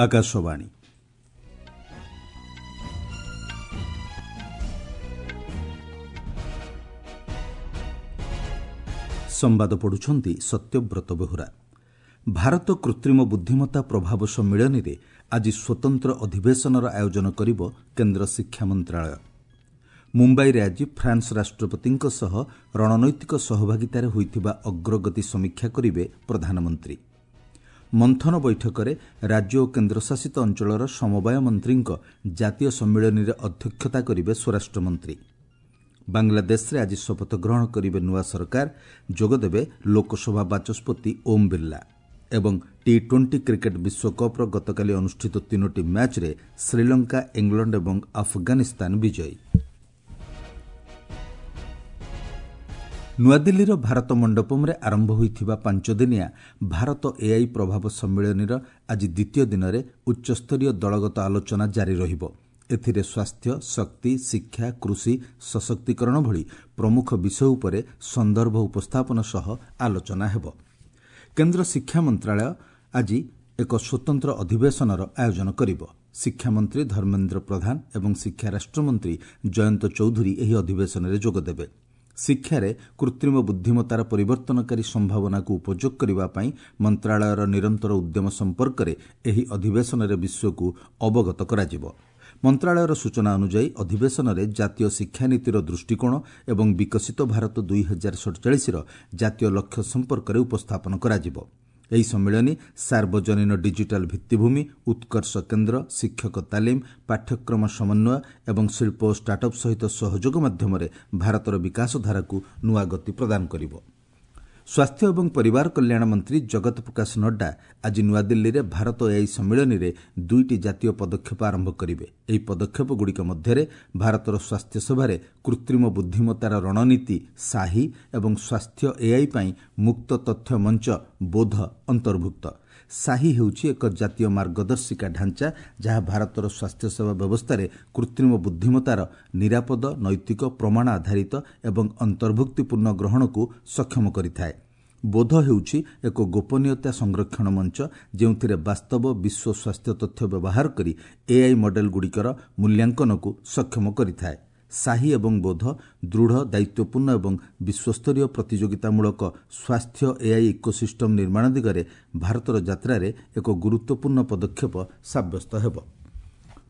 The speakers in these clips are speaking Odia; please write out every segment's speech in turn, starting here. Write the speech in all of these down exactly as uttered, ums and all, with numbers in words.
ଆକାଶବାଣୀ। ସମ୍ବାଦ ପଢୁଛନ୍ତି ସତ୍ୟବ୍ରତ ବେହୁରା। ଭାରତ କୃତ୍ରିମ ବୁଦ୍ଧିମତ୍ତା ପ୍ରଭାବ ସମ୍ମିଳନୀରେ ଆଜି ସ୍ୱତନ୍ତ୍ର ଅଧିବେଶନର ଆୟୋଜନ କରିବ କେନ୍ଦ୍ର ଶିକ୍ଷା ମନ୍ତ୍ରଣାଳୟ। ମୁମ୍ବାଇରେ ଆଜି ଫ୍ରାନ୍ସ ରାଷ୍ଟ୍ରପତିଙ୍କ ସହ ରଣନୈତିକ ସହଭାଗିତାରେ ହୋଇଥିବା ଅଗ୍ରଗତି ସମୀକ୍ଷା କରିବେ ପ୍ରଧାନମନ୍ତ୍ରୀ। ମନ୍ଥନ ବୈଠକରେ ରାଜ୍ୟ ଓ କେନ୍ଦ୍ରଶାସିତ ଅଞ୍ଚଳର ସମବାୟ ମନ୍ତ୍ରୀଙ୍କ ଜାତୀୟ ସମ୍ମିଳନୀରେ ଅଧ୍ୟକ୍ଷତା କରିବେ ସ୍ୱରାଷ୍ଟ୍ରମନ୍ତ୍ରୀ। ବାଂଲାଦେଶରେ ଆଜି ଶପଥ ଗ୍ରହଣ କରିବେ ନୂଆ ସରକାର, ଯୋଗଦେବେ ଲୋକସଭା ବାଚସ୍ପତି ଓମ୍ ବିର୍ଲା। ଏବଂ ଟି ଟ୍ୱେଣ୍ଟି କ୍ରିକେଟ୍ ବିଶ୍ୱକପ୍ର ଗତକାଲି ଅନୁଷ୍ଠିତ ତିନୋଟି ମ୍ୟାଚ୍ରେ ଶ୍ରୀଲଙ୍କା, ଇଂଲଣ୍ଡ ଏବଂ ଆଫଗାନିସ୍ତାନ ବିଜୟୀ। ନୂଆଦିଲ୍ଲୀର ଭାରତ ମଣ୍ଡପମ୍ରେ ଆରମ୍ଭ ହୋଇଥିବା ପାଞ୍ଚଦିନିଆ ଭାରତ ଏଆଇ ପ୍ରଭାବ ସମ୍ମିଳନୀର ଆଜି ଦ୍ୱିତୀୟ ଦିନରେ ଉଚ୍ଚସ୍ତରୀୟ ଦଳଗତ ଆଲୋଚନା ଜାରି ରହିବ। ଏଥିରେ ସ୍ୱାସ୍ଥ୍ୟ, ଶକ୍ତି, ଶିକ୍ଷା, କୃଷି, ସଶକ୍ତିକରଣ ଭଳି ପ୍ରମୁଖ ବିଷୟ ଉପରେ ସନ୍ଦର୍ଭ ଉପସ୍ଥାପନ ସହ ଆଲୋଚନା ହେବ। କେନ୍ଦ୍ର ଶିକ୍ଷା ମନ୍ତ୍ରଣାଳୟ ଆଜି ଏକ ସ୍ୱତନ୍ତ୍ର ଅଧିବେଶନର ଆୟୋଜନ କରିବ। ଶିକ୍ଷାମନ୍ତ୍ରୀ ଧର୍ମେନ୍ଦ୍ର ପ୍ରଧାନ ଏବଂ ଶିକ୍ଷା ରାଷ୍ଟ୍ରମନ୍ତ୍ରୀ ଜୟନ୍ତ ଚୌଧୁରୀ ଏହି ଅଧିବେଶନରେ ଯୋଗଦେବେ। ଶିକ୍ଷାରେ କୃତ୍ରିମ ବୁଦ୍ଧିମତ୍ତାର ପରିବର୍ତ୍ତନକାରୀ ସମ୍ଭାବନାକୁ ଉପଯୋଗ କରିବା ପାଇଁ ମନ୍ତ୍ରଣାଳୟର ନିରନ୍ତର ଉଦ୍ୟମ ସମ୍ପର୍କରେ ଏହି ଅଧିବେଶନରେ ବିଶ୍ୱକୁ ଅବଗତ କରାଯିବ। ମନ୍ତ୍ରଣାଳୟର ସୂଚନା ଅନୁଯାୟୀ ଅଧିବେଶନରେ ଜାତୀୟ ଶିକ୍ଷାନୀତିର ଦୃଷ୍ଟିକୋଣ ଏବଂ ବିକଶିତ ଭାରତ ଦୁଇ ହଜାର ସଡ଼ଚାଳିଶର ଜାତୀୟ ଲକ୍ଷ୍ୟ ସମ୍ପର୍କରେ ଉପସ୍ଥାପନ କରାଯିବ। ଏହି ସମ୍ମିଳନୀ ସାର୍ବଜନୀନ ଡିଜିଟାଲ୍ ଭିତ୍ତିଭୂମି, ଉତ୍କର୍ଷ କେନ୍ଦ୍ର, ଶିକ୍ଷକ ତାଲିମ, ପାଠ୍ୟକ୍ରମ ସମନ୍ୱୟ ଏବଂ ଶିଳ୍ପ ଓ ଷ୍ଟାର୍ଟଅପ୍ ସହିତ ସହଯୋଗ ମାଧ୍ୟମରେ ଭାରତର ବିକାଶଧାରାକୁ ନୂଆ ଗତି ପ୍ରଦାନ କରିବ। ସ୍ୱାସ୍ଥ୍ୟ ଏବଂ ପରିବାର କଲ୍ୟାଣ ମନ୍ତ୍ରୀ ଜଗତ ପ୍ରକାଶ ନଡ୍ଡା ଆଜି ନୂଆଦିଲ୍ଲୀରେ ଭାରତ ଏଆଇ ସମ୍ମିଳନୀରେ ଦୁଇଟି ଜାତୀୟ ପଦକ୍ଷେପ ଆରମ୍ଭ କରିବେ। ଏହି ପଦକ୍ଷେପଗୁଡ଼ିକ ମଧ୍ୟରେ ଭାରତର ସ୍ୱାସ୍ଥ୍ୟସେବାରେ କୃତ୍ରିମ ବୁଦ୍ଧିମତ୍ତାର ରଣନୀତି ସାହି ଏବଂ ସ୍ୱାସ୍ଥ୍ୟ ଏଆଇ ପାଇଁ ମୁକ୍ତ ତଥ୍ୟ ମଞ୍ଚ ବୋଧ ଅନ୍ତର୍ଭୁକ୍ତ। ସାହି ହେଉଛି ଏକ ଜାତୀୟ ମାର୍ଗଦର୍ଶିକା ଢାଞ୍ଚା, ଯାହା ଭାରତର ସ୍ୱାସ୍ଥ୍ୟସେବା ବ୍ୟବସ୍ଥାରେ କୃତ୍ରିମ ବୁଦ୍ଧିମତ୍ତାର ନିରାପଦ, ନୈତିକ, ପ୍ରମାଣ ଆଧାରିତ ଏବଂ ଅନ୍ତର୍ଭୁକ୍ତିପୂର୍ଣ୍ଣ ଗ୍ରହଣକୁ ସକ୍ଷମ କରିଥାଏ। ବୋଧ ହେଉଛି ଏକ ଗୋପନୀୟତା ସଂରକ୍ଷଣ ମଞ୍ଚ, ଯେଉଁଥିରେ ବାସ୍ତବ ବିଶ୍ୱ ସ୍ୱାସ୍ଥ୍ୟ ତଥ୍ୟ ବ୍ୟବହାର କରି ଏଆଇ ମଡେଲଗୁଡ଼ିକର ମୂଲ୍ୟାଙ୍କନକୁ ସକ୍ଷମ କରିଥାଏ। ସାହି ଏବଂ ବୋଧ ଦୃଢ଼, ଦାୟିତ୍ୱପୂର୍ଣ୍ଣ ଏବଂ ବିଶ୍ୱସ୍ତରୀୟ ପ୍ରତିଯୋଗିତାମୂଳକ ସ୍ୱାସ୍ଥ୍ୟ ଏଆଇ ଇକୋସିଷ୍ଟମ୍ ନିର୍ମାଣ ଦିଗରେ ଭାରତର ଯାତ୍ରାରେ ଏକ ଗୁରୁତ୍ୱପୂର୍ଣ୍ଣ ପଦକ୍ଷେପ ସାବ୍ୟସ୍ତ ହେବ।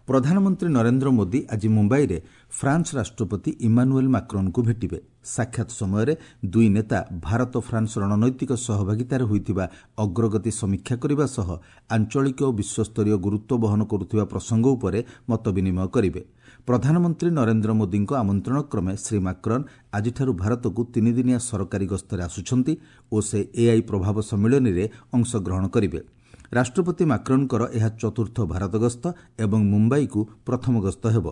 ପ୍ରଧାନମନ୍ତ୍ରୀ ନରେନ୍ଦ୍ର ମୋଦି ଆଜି ମୁମ୍ବାଇରେ ଫ୍ରାନ୍ସ ରାଷ୍ଟ୍ରପତି ଇମାନୁଏଲ୍ ମାକ୍ରନ୍ଙ୍କୁ ଭେଟିବେ। ସାକ୍ଷାତ ସମୟରେ ଦୁଇ ନେତା ଭାରତ ଫ୍ରାନ୍ସ ରଣନୈତିକ ସହଭାଗିତାରେ ହୋଇଥିବା ଅଗ୍ରଗତି ସମୀକ୍ଷା କରିବା ସହ ଆଞ୍ଚଳିକ ଓ ବିଶ୍ୱସ୍ତରୀୟ ଗୁରୁତ୍ୱ ବହନ କରୁଥିବା ପ୍ରସଙ୍ଗ ଉପରେ ମତ ବିନିମୟ କରିବେ। ପ୍ରଧାନମନ୍ତ୍ରୀ ନରେନ୍ଦ୍ର ମୋଦିଙ୍କ ଆମନ୍ତ୍ରଣ କ୍ରମେ ଶ୍ରୀ ମାକ୍ରନ୍ ଆଜିଠାରୁ ଭାରତକୁ ତିନିଦିନିଆ ସରକାରୀ ଗସ୍ତରେ ଆସୁଛନ୍ତି ଓ ସେ ଏଆଇ ପ୍ରଭାବ ସମ୍ମିଳନୀରେ ଅଂଶଗ୍ରହଣ କରିବେ। ରାଷ୍ଟ୍ରପତି ମାକ୍ରନ୍ଙ୍କର ଏହା ଚତୁର୍ଥ ଭାରତ ଗସ୍ତ ଏବଂ ମୁମ୍ବାଇକୁ ପ୍ରଥମ ଗସ୍ତ ହେବ।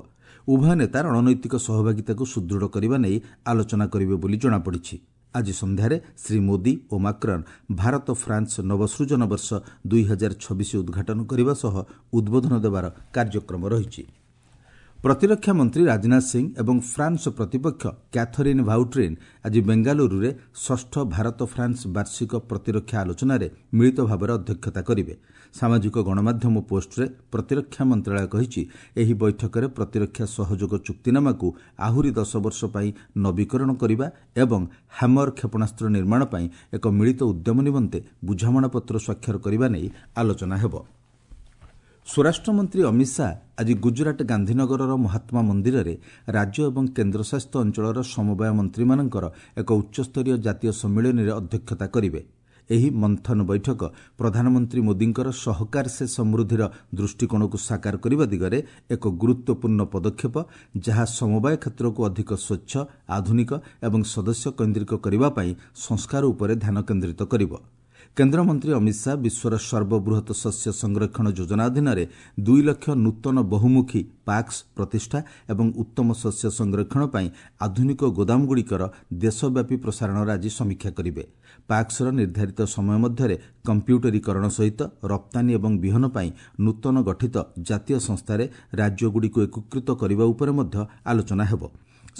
ଉଭୟ ନେତା ରଣନୈତିକ ସହଭାଗିତାକୁ ସୁଦୃଢ଼ କରିବା ନେଇ ଆଲୋଚନା କରିବେ ବୋଲି ଜଣାପଡ଼ିଛି। ଆଜି ସନ୍ଧ୍ୟାରେ ଶ୍ରୀ ମୋଦି ଓ ମାକ୍ରନ୍ ଭାରତ ଫ୍ରାନ୍ସ ନବସୃଜନ ବର୍ଷ ଦୁଇ ହଜାର ଛବିଶ ଉଦ୍ଘାଟନ କରିବା ସହ ଉଦ୍ବୋଧନ ଦେବାର କାର୍ଯ୍ୟକ୍ରମ ରହିଛି। ପ୍ରତିରକ୍ଷା ମନ୍ତ୍ରୀ ରାଜନାଥ ସିଂ ଏବଂ ଫ୍ରାନ୍ସ ପ୍ରତିପକ୍ଷ କ୍ୟାଥରିନ୍ ଭାଉଟ୍ରିନ୍ ଆଜି ବେଙ୍ଗାଲୁରୁରେ ଷଷ୍ଠ ଭାରତ ଫ୍ରାନ୍ସ ବାର୍ଷିକ ପ୍ରତିରକ୍ଷା ଆଲୋଚନାରେ ମିଳିତ ଭାବରେ ଅଧ୍ୟକ୍ଷତା କରିବେ। ସାମାଜିକ ଗଣମାଧ୍ୟମ ପୋଷ୍ଟରେ ପ୍ରତିରକ୍ଷା ମନ୍ତ୍ରଣାଳୟ କହିଛି, ଏହି ବୈଠକରେ ପ୍ରତିରକ୍ଷା ସହଯୋଗ ଚୁକ୍ତିନାମାକୁ ଆହୁରି ଦଶ ବର୍ଷ ପାଇଁ ନବୀକରଣ କରିବା ଏବଂ ହ୍ୟାମର କ୍ଷେପଣାସ୍ତ୍ର ନିର୍ମାଣ ପାଇଁ ଏକ ମିଳିତ ଉଦ୍ୟମ ନିମନ୍ତେ ବୁଝାମଣାପତ୍ର ସ୍ୱାକ୍ଷର କରିବା ନେଇ ଆଲୋଚନା ହେବ। ସ୍ୱରାଷ୍ଟ୍ରମନ୍ତ୍ରୀ ଅମିତ ଶାହା ଆଜି ଗୁଜରାଟ ଗାନ୍ଧୀନଗରର ମହାତ୍ମା ମନ୍ଦିରରେ ରାଜ୍ୟ ଏବଂ କେନ୍ଦ୍ରଶାସିତ ଅଞ୍ଚଳର ସମବାୟ ମନ୍ତ୍ରୀମାନଙ୍କର ଏକ ଉଚ୍ଚସ୍ତରୀୟ ଜାତୀୟ ସମ୍ମିଳନୀରେ ଅଧ୍ୟକ୍ଷତା କରିବେ। ଏହି ମନ୍ଥନ ବୈଠକ ପ୍ରଧାନମନ୍ତ୍ରୀ ମୋଦିଙ୍କର ସହକାର ସେ ସମୃଦ୍ଧିର ଦୃଷ୍ଟିକୋଣକୁ ସାକାର କରିବା ଦିଗରେ ଏକ ଗୁରୁତ୍ୱପୂର୍ଣ୍ଣ ପଦକ୍ଷେପ, ଯାହା ସମବାୟ କ୍ଷେତ୍ରକୁ ଅଧିକ ସ୍ୱଚ୍ଛ, ଆଧୁନିକ ଏବଂ ସଦସ୍ୟ କେନ୍ଦ୍ରିକ କରିବା ପାଇଁ ସଂସ୍କାର ଉପରେ ଧ୍ୟାନ କେନ୍ଦ୍ରିତ କରିବ। କେନ୍ଦ୍ରମନ୍ତ୍ରୀ ଅମିତ ଶାହା ବିଶ୍ୱର ସର୍ବବୃହତ ଶସ୍ୟ ସଂରକ୍ଷଣ ଯୋଜନା ଅଧୀନରେ ଦୁଇ ଲକ୍ଷ ନୂତନ ବହୁମୁଖୀ ପାକ୍ସ ପ୍ରତିଷ୍ଠା ଏବଂ ଉତ୍ତମ ଶସ୍ୟ ସଂରକ୍ଷଣ ପାଇଁ ଆଧୁନିକ ଗୋଦାମଗୁଡ଼ିକର ଦେଶବ୍ୟାପୀ ପ୍ରସାରଣର ଆଜି ସମୀକ୍ଷା କରିବେ। ପାକ୍ସର ନିର୍ଦ୍ଧାରିତ ସମୟ ମଧ୍ୟରେ କମ୍ପ୍ୟୁଟରୀକରଣ ସହିତ ରପ୍ତାନୀ ଏବଂ ବିହନ ପାଇଁ ନୂତନ ଗଠିତ ଜାତୀୟ ସଂସ୍ଥାରେ ରାଜ୍ୟଗୁଡ଼ିକୁ ଏକୀକୃତ କରିବା ଉପରେ ମଧ୍ୟ ଆଲୋଚନା ହେବ।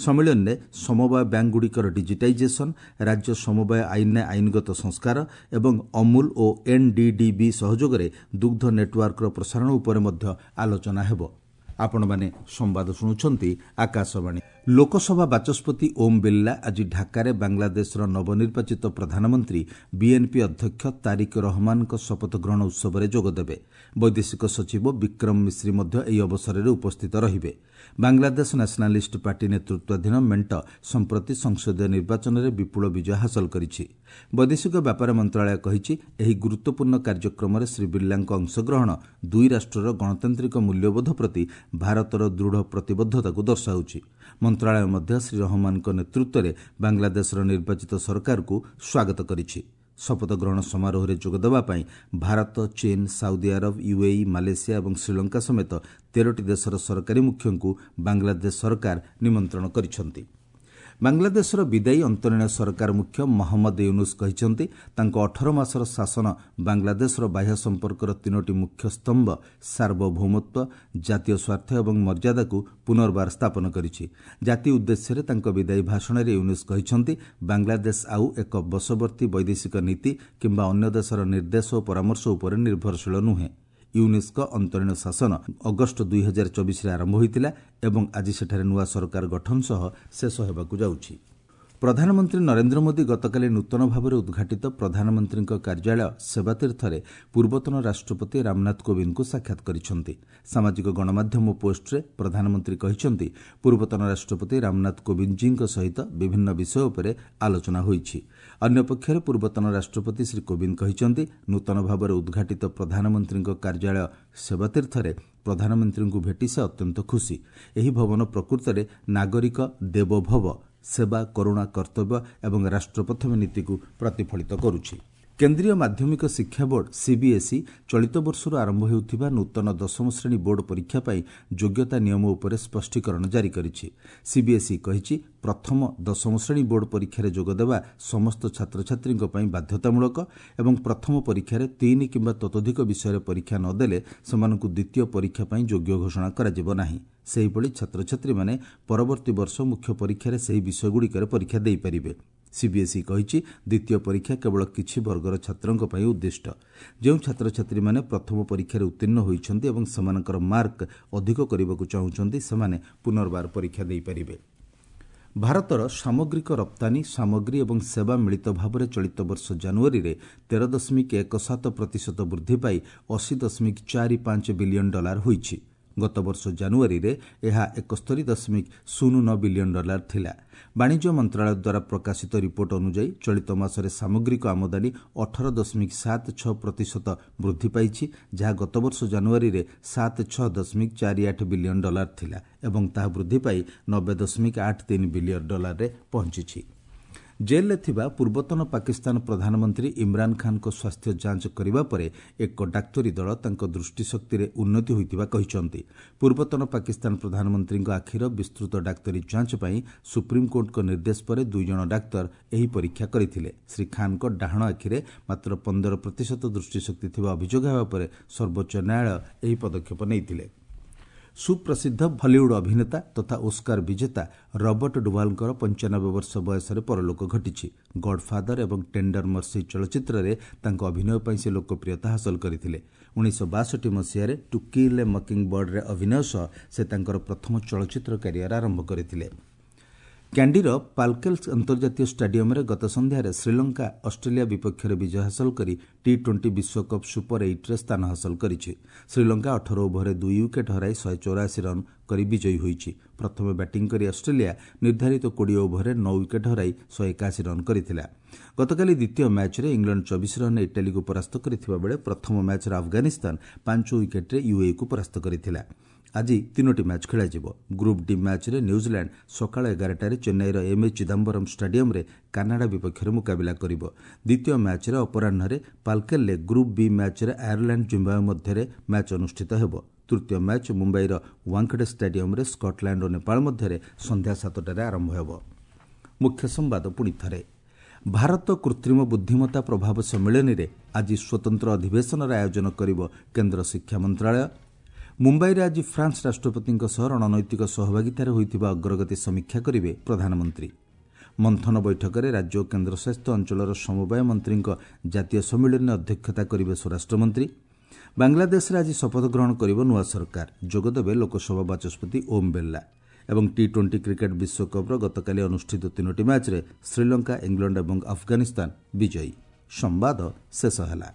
ସମ୍ମିଳନୀରେ ସମବାୟ ବ୍ୟାଙ୍କଗୁଡ଼ିକର ଡିଜିଟାଇଜେସନ୍, ରାଜ୍ୟ ସମବାୟ ଆଇନରେ ଆଇନଗତ ସଂସ୍କାର ଏବଂ ଅମୁଲ ଓ ଏନ୍ଡିଡିବି ସହଯୋଗରେ ଦୁଗ୍ଧ ନେଟୱାର୍କର ପ୍ରସାରଣ ଉପରେ ମଧ୍ୟ ଆଲୋଚନା ହେବ। ଆପଣମାନେ ସମ୍ବାଦ ଶୁଣୁଛନ୍ତି ଆକାଶବାଣୀ। ଲୋକସଭା ବାଚସ୍ପତି ଓମ୍ ବିର୍ଲା ଆଜି ଢାକାରେ ବାଂଲାଦେଶର ନବନିର୍ବାଚିତ ପ୍ରଧାନମନ୍ତ୍ରୀ ବିଏନ୍ପି ଅଧ୍ୟକ୍ଷ ତାରିକ ରହମାନଙ୍କ ଶପଥ ଗ୍ରହଣ ଉତ୍ସବରେ ଯୋଗଦେବେ। ବୈଦେଶିକ ସଚିବ ବିକ୍ରମ ମିଶ୍ରି ମଧ୍ୟ ଏହି ଅବସରରେ ଉପସ୍ଥିତ ରହିବେ। ବାଂଲାଦେଶ ନ୍ୟାସନାଲିଷ୍ଟ ପାର୍ଟି ନେତୃତ୍ୱାଧୀନ ମେଣ୍ଟ ସମ୍ପ୍ରତି ସଂସଦୀୟ ନିର୍ବାଚନରେ ବିପୁଳ ବିଜୟ ହାସଲ କରିଛି। ବୈଦେଶିକ ବ୍ୟାପାର ମନ୍ତ୍ରଣାଳୟ କହିଛି, ଏହି ଗୁରୁତ୍ୱପୂର୍ଣ୍ଣ କାର୍ଯ୍ୟକ୍ରମରେ ଶ୍ରୀ ବିର୍ଲାଙ୍କ ଅଂଶଗ୍ରହଣ ଦୁଇ ରାଷ୍ଟ୍ରର ଗଣତାନ୍ତ୍ରିକ ମୂଲ୍ୟବୋଧ ପ୍ରତି ଭାରତର ଦୃଢ଼ ପ୍ରତିବଦ୍ଧତାକୁ ଦର୍ଶାଉଛି। ମନ୍ତ୍ରଣାଳୟ ମଧ୍ୟ ଶ୍ରୀ ରହମାନଙ୍କ ନେତୃତ୍ୱରେ ବାଂଲାଦେଶର ନିର୍ବାଚିତ ସରକାରକୁ ସ୍ୱାଗତ କରିଛି। ଶପଥ ଗ୍ରହଣ ସମାରୋହରେ ଯୋଗଦେବା ପାଇଁ ଭାରତ, ଚୀନ, ସାଉଦି ଆରବ, ୟୁଏଇ, ମାଲେସିଆ ଏବଂ ଶ୍ରୀଲଙ୍କା ସମେତ ତେରଟି ଦେଶର ସରକାରୀ ମୁଖ୍ୟଙ୍କୁ ବାଂଲାଦେଶ ସରକାର ନିମନ୍ତ୍ରଣ କରିଛନ୍ତି। ବାଂଲାଦେଶର ବିଦାୟୀ ଅନ୍ତରୀଣ ସରକାର ମୁଖ୍ୟ ମହମ୍ମଦ ୟୁନୁସ୍ କହିଛନ୍ତି, ତାଙ୍କ ଅଠର ମାସର ଶାସନ ବାଂଲାଦେଶର ବାହ୍ୟ ସମ୍ପର୍କର ତିନୋଟି ମୁଖ୍ୟ ସ୍ତମ୍ଭ ସାର୍ବଭୌମତ୍ୱ, ଜାତୀୟ ସ୍ୱାର୍ଥ ଏବଂ ମର୍ଯ୍ୟାଦାକୁ ପୁନର୍ବାର ସ୍ଥାପନ କରିଛି। ଜାତି ଉଦ୍ଦେଶ୍ୟରେ ତାଙ୍କ ବିଦାୟୀ ଭାଷଣରେ ୟୁନୁସ୍ କହିଛନ୍ତି, ବାଂଲାଦେଶ ଆଉ ଏକ ବଶବର୍ତ୍ତୀ ବୈଦେଶିକ ନୀତି କିମ୍ବା ଅନ୍ୟ ଦେଶର ନିର୍ଦ୍ଦେଶ ଓ ପରାମର୍ଶ ଉପରେ ନିର୍ଭରଶୀଳ ନୁହେଁ। ୟୁନିସ୍ଙ୍କ ଅନ୍ତରୀଣ ଶାସନ ଅଗଷ୍ଟ ଦୁଇ ହଜାର ଚବିଶରେ ଆରମ୍ଭ ହୋଇଥିଲା ଏବଂ ଆଜି ସେଠାରେ ନୂଆ ସରକାର ଗଠନ ସହ ଶେଷ ହେବାକୁ ଯାଉଛି। ପ୍ରଧାନମନ୍ତ୍ରୀ ନରେନ୍ଦ୍ର ମୋଦି ଗତକାଲି ନୂତନ ଭାବରେ ଉଦ୍ଘାଟିତ ପ୍ରଧାନମନ୍ତ୍ରୀଙ୍କ କାର୍ଯ୍ୟାଳୟ ସେବାତୀର୍ଥରେ ପୂର୍ବତନ ରାଷ୍ଟ୍ରପତି ରାମନାଥ କୋବିନ୍ଦଙ୍କୁ ସାକ୍ଷାତ କରିଛନ୍ତି। ସାମାଜିକ ଗଣମାଧ୍ୟମ ପୋଷ୍ଟରେ ପ୍ରଧାନମନ୍ତ୍ରୀ କହିଛନ୍ତି, ପୂର୍ବତନ ରାଷ୍ଟ୍ରପତି ରାମନାଥ କୋବିନ୍ଦଜୀଙ୍କ ସହିତ ବିଭିନ୍ନ ବିଷୟ ଉପରେ ଆଲୋଚନା ହୋଇଛି। ଅନ୍ୟପକ୍ଷରେ ପୂର୍ବତନ ରାଷ୍ଟ୍ରପତି ଶ୍ରୀ କୋବିନ୍ଦ କହିଛନ୍ତି, ନୂତନ ଭାବରେ ଉଦ୍ଘାଟିତ ପ୍ରଧାନମନ୍ତ୍ରୀଙ୍କ କାର୍ଯ୍ୟାଳୟ ସେବାତୀର୍ଥରେ ପ୍ରଧାନମନ୍ତ୍ରୀଙ୍କୁ ଭେଟି ସେ ଅତ୍ୟନ୍ତ ଖୁସି। ଏହି ଭବନ ପ୍ରକୃତରେ ନାଗରିକ ଦେବୋଭବ, ସେବା, କରୁଣା, କର୍ତ୍ତବ୍ୟ ଏବଂ ରାଷ୍ଟ୍ର ପ୍ରଥମେ ନୀତିକୁ ପ୍ରତିଫଳିତ କରୁଛି। କେନ୍ଦ୍ରୀୟ ମାଧ୍ୟମିକ ଶିକ୍ଷା ବୋର୍ଡ ସିବିଏସ୍ଇ ଚଳିତ ବର୍ଷରୁ ଆରମ୍ଭ ହେଉଥିବା ନୂତନ ଦଶମ ଶ୍ରେଣୀ ବୋର୍ଡ ପରୀକ୍ଷା ପାଇଁ ଯୋଗ୍ୟତା ନିୟମ ଉପରେ ସ୍ପଷ୍ଟୀକରଣ ଜାରି କରିଛି। ସିବିଏସ୍ଇ କହିଛି, ପ୍ରଥମ ଦଶମ ଶ୍ରେଣୀ ବୋର୍ଡ ପରୀକ୍ଷାରେ ଯୋଗଦେବା ସମସ୍ତ ଛାତ୍ରଛାତ୍ରୀଙ୍କ ପାଇଁ ବାଧ୍ୟତାମୂଳକ ଏବଂ ପ୍ରଥମ ପରୀକ୍ଷାରେ ତିନି କିମ୍ବା ତତୋଧିକ ବିଷୟରେ ପରୀକ୍ଷା ନ ଦେଲେ ସେମାନଙ୍କୁ ଦ୍ୱିତୀୟ ପରୀକ୍ଷା ପାଇଁ ଯୋଗ୍ୟ ଘୋଷଣା କରାଯିବ ନାହିଁ। ସେହିଭଳି ଛାତ୍ରଛାତ୍ରୀମାନେ ପରବର୍ତ୍ତୀ ବର୍ଷ ମୁଖ୍ୟ ପରୀକ୍ଷାରେ ସେହି ବିଷୟଗୁଡ଼ିକରେ ପରୀକ୍ଷା ଦେଇପାରିବେ। ସିବିଏସ୍ଇ କହିଛି, ଦ୍ୱିତୀୟ ପରୀକ୍ଷା କେବଳ କିଛି ବର୍ଗର ଛାତ୍ରଙ୍କ ପାଇଁ ଉଦ୍ଦିଷ୍ଟ। ଯେଉଁ ଛାତ୍ରଛାତ୍ରୀମାନେ ପ୍ରଥମ ପରୀକ୍ଷାରେ ଉତ୍ତୀର୍ଣ୍ଣ ହୋଇଛନ୍ତି ଏବଂ ସେମାନଙ୍କର ମାର୍କ ଅଧିକ କରିବାକୁ ଚାହୁଁଛନ୍ତି, ସେମାନେ ପୁନର୍ବାର ପରୀକ୍ଷା ଦେଇପାରିବେ। ଭାରତର ସାମଗ୍ରିକ ରପ୍ତାନୀ ସାମଗ୍ରୀ ଏବଂ ସେବା ମିଳିତ ଭାବରେ ଚଳିତ ବର୍ଷ ଜାନୁଆରୀରେ ତେର ଦଶମିକ ଏକ ସାତ ପ୍ରତିଶତ ବୃଦ୍ଧି ପାଇ ଅଶୀ ଦଶମିକ ଚାରି ପାଞ୍ଚ ବିଲିୟନ ଡଲାର ହୋଇଛି। ଗତବର୍ଷ ଜାନୁଆରୀରେ ଏହା ଏକସ୍ତରୀ ଦଶମିକ ଶୂନ ନଅ ବିଲିୟନ ଡଲାର ଥିଲା। ବାଣିଜ୍ୟ ମନ୍ତ୍ରଣାଳୟ ଦ୍ୱାରା ପ୍ରକାଶିତ ରିପୋର୍ଟ ଅନୁଯାୟୀ ଚଳିତ ମାସରେ ସାମଗ୍ରିକ ଆମଦାନୀ ଅଠର ଦଶମିକ ସାତ ଛଅ ପ୍ରତିଶତ ବୃଦ୍ଧି ପାଇଛି, ଯାହା ଗତବର୍ଷ ଜାନୁଆରୀରେ ସାତ ଛଅ ଦଶମିକ ଚାରି ଆଠ ବିଲିୟନ ଡଲାର ଥିଲା ଏବଂ ତାହା ବୃଦ୍ଧି ପାଇ ନବେ ଦଶମିକ ଆଠ ତିନି ବିଲିୟନ ଡଲାରରେ ପହଞ୍ଚିଛି। ଜେଲ୍ରେ ଥିବା ପୂର୍ବତନ ପାକିସ୍ତାନ ପ୍ରଧାନମନ୍ତ୍ରୀ ଇମ୍ରାନ୍ ଖାନ୍ଙ୍କ ସ୍ୱାସ୍ଥ୍ୟ ଯାଞ୍ଚ କରିବା ପରେ ଏକ ଡାକ୍ତରୀ ଦଳ ତାଙ୍କ ଦୃଷ୍ଟିଶକ୍ତିରେ ଉନ୍ନତି ହୋଇଥିବା କହିଛନ୍ତି। ପୂର୍ବତନ ପାକିସ୍ତାନ ପ୍ରଧାନମନ୍ତ୍ରୀଙ୍କ ଆଖିର ବିସ୍ତୃତ ଡାକ୍ତରୀ ଯାଞ୍ଚ ପାଇଁ ସୁପ୍ରିମକୋର୍ଟଙ୍କ ନିର୍ଦ୍ଦେଶ ପରେ ଦୁଇ ଜଣ ଡାକ୍ତର ଏହି ପରୀକ୍ଷା କରିଥିଲେ। ଶ୍ରୀ ଖାନ୍ଙ୍କ ଡାହାଣ ଆଖିରେ ମାତ୍ର ପନ୍ଦର ପ୍ରତିଶତ ଦୃଷ୍ଟିଶକ୍ତି ଥିବା ଅଭିଯୋଗ ହେବା ପରେ ସର୍ବୋଚ୍ଚ ନ୍ୟାୟାଳୟ ଏହି ପଦକ୍ଷେପ ନେଇଥିଲେ। ସୁପ୍ରସିଦ୍ଧ ହଲିଉଡ୍ ଅଭିନେତା ତଥା ଓସ୍କାର ବିଜେତା ରବର୍ଟ ଡୁଭାଲଙ୍କର ପଞ୍ଚାନବେ ବର୍ଷ ବୟସରେ ପରଲୋକ ଘଟିଛି। ଗଡ୍ଫାଦର ଏବଂ ଟେଣ୍ଡର ମର୍ସି ଚଳଚ୍ଚିତ୍ରରେ ତାଙ୍କ ଅଭିନୟ ପାଇଁ ସେ ଲୋକପ୍ରିୟତା ହାସଲ କରିଥିଲେ। ଉଣେଇଶହ ବାଷଠି ମସିହାରେ ଟୁ କିଲ୍ ଏ ମକିଂ ବର୍ଡରେ ଅଭିନୟ ସହ ସେ ତାଙ୍କର ପ୍ରଥମ ଚଳଚ୍ଚିତ୍ର କ୍ୟାରିୟର ଆରମ୍ଭ କରିଥିଲେ। କ୍ୟାଣ୍ଡିର ପାଲକେଲ ଅନ୍ତର୍ଜାତୀୟ ଷ୍ଟାଡିୟମରେ ଗତ ସନ୍ଧ୍ୟାରେ ଶ୍ରୀଲଙ୍କା ଅଷ୍ଟ୍ରେଲିଆ ବିପକ୍ଷରେ ବିଜୟ ହାସଲ କରି ଟି ଟ୍ୱେଣ୍ଟି ବିଶ୍ୱକପ୍ ସୁପର ଏଇଟ୍ରେ ସ୍ଥାନ ହାସଲ କରିଛି। ଶ୍ରୀଲଙ୍କା ଅଠର ଓଭରରେ ଦୁଇ ୱିକେଟ୍ ହରାଇ ଶହେ ଚଉରାଅଶୀ ରନ୍ କରି ବିଜୟୀ ହୋଇଛି। ପ୍ରଥମେ ବ୍ୟାଟିଂ କରି ଅଷ୍ଟ୍ରେଲିଆ ନିର୍ଦ୍ଧାରିତ କୋଡ଼ିଏ ଓଭରରେ ନଅ ୱିକେଟ୍ ହରାଇ ଶହେ ଏକାଅଶୀ ରନ୍ କରିଥିଲା। ଗତକାଲି ଦ୍ୱିତୀୟ ମ୍ୟାଚ୍ରେ ଇଂଲଣ୍ଡ ଚବିଶ ରନ୍ରେ ଇଟାଲୀକୁ ପରାସ୍ତ କରିଥିବା ବେଳେ ପ୍ରଥମ ମ୍ୟାଚ୍ରେ ଆଫଗାନିସ୍ତାନ ପାଞ୍ଚ ୱିକେଟ୍ରେ ୟୁଏଇକୁ ପରାସ୍ତ କରିଥିଲା। ଆଜି ତିନୋଟି ମ୍ୟାଚ୍ ଖେଳାଯିବ। ଗ୍ରୁପ୍ ଡି ମ୍ୟାଚ୍ରେ ନ୍ୟୁଜିଲାଣ୍ଡ ସକାଳ ଏଗାରଟାରେ ଚେନ୍ନାଇର ଏମ୍ ଏ ଚିଦାମ୍ବରମ୍ ଷ୍ଟାଡିୟମରେ କାନାଡା ବିପକ୍ଷରେ ମୁକାବିଲା କରିବ। ଦ୍ୱିତୀୟ ମ୍ୟାଚ୍ରେ ଅପରାହ୍ନରେ ପାଲକେଲରେ ଗ୍ରୁପ୍ ବି ମ୍ୟାଚ୍ରେ ଆୟାରଲାଣ୍ଡ ଜିମ୍ବାୱେ ମଧ୍ୟରେ ମ୍ୟାଚ୍ ଅନୁଷ୍ଠିତ ହେବ। ତୃତୀୟ ମ୍ୟାଚ୍ ମୁମ୍ବାଇର ୱାଙ୍ଖଡେ ଷ୍ଟାଡିୟମରେ ସ୍କଟଲ୍ୟାଣ୍ଡ ଓ ନେପାଳ ମଧ୍ୟରେ ସନ୍ଧ୍ୟା ସାତଟାରେ ଆରମ୍ଭ ହେବ। ମୁଖ୍ୟ ସମ୍ବାଦ ପୁଣି ଥରେ। ଭାରତ କୃତ୍ରିମ ବୁଦ୍ଧିମତ୍ତା ପ୍ରଭାବ ସମ୍ମିଳନୀରେ ଆଜି ସ୍ୱତନ୍ତ୍ର ଅଧିବେଶନର ଆୟୋଜନ କରିବ କେନ୍ଦ୍ର ଶିକ୍ଷା ମନ୍ତ୍ରଣାଳୟ। ମୁମ୍ବାଇରେ ଆଜି ଫ୍ରାନ୍ସ ରାଷ୍ଟ୍ରପତିଙ୍କ ସହ ରଣନୈତିକ ସହଭାଗିତାରେ ହୋଇଥିବା ଅଗ୍ରଗତି ସମୀକ୍ଷା କରିବେ ପ୍ରଧାନମନ୍ତ୍ରୀ। ମନ୍ଥନ ବୈଠକରେ ରାଜ୍ୟ ଓ କେନ୍ଦ୍ରଶାସିତ ଅଞ୍ଚଳର ସମବାୟ ମନ୍ତ୍ରୀଙ୍କ ଜାତୀୟ ସମ୍ମିଳନୀରେ ଅଧ୍ୟକ୍ଷତା କରିବେ ସ୍ୱରାଷ୍ଟ୍ରମନ୍ତ୍ରୀ। ବାଂଲାଦେଶରେ ଆଜି ଶପଥ ଗ୍ରହଣ କରିବ ନୂଆ ସରକାର, ଯୋଗଦେବେ ଲୋକସଭା ବାଚସ୍ପତି ଓମ୍ ବିର୍ଲା। ଏବଂ ଟି ଟ୍ୱେଣ୍ଟି କ୍ରିକେଟ୍ ବିଶ୍ୱକପ୍ର ଗତକାଲି ଅନୁଷ୍ଠିତ ତିନୋଟି ମ୍ୟାଚ୍ରେ ଶ୍ରୀଲଙ୍କା, ଇଂଲଣ୍ଡ ଏବଂ ଆଫଗାନିସ୍ତାନ ବିଜୟୀ। ସମ୍ବାଦ ଶେଷ ହେଲା।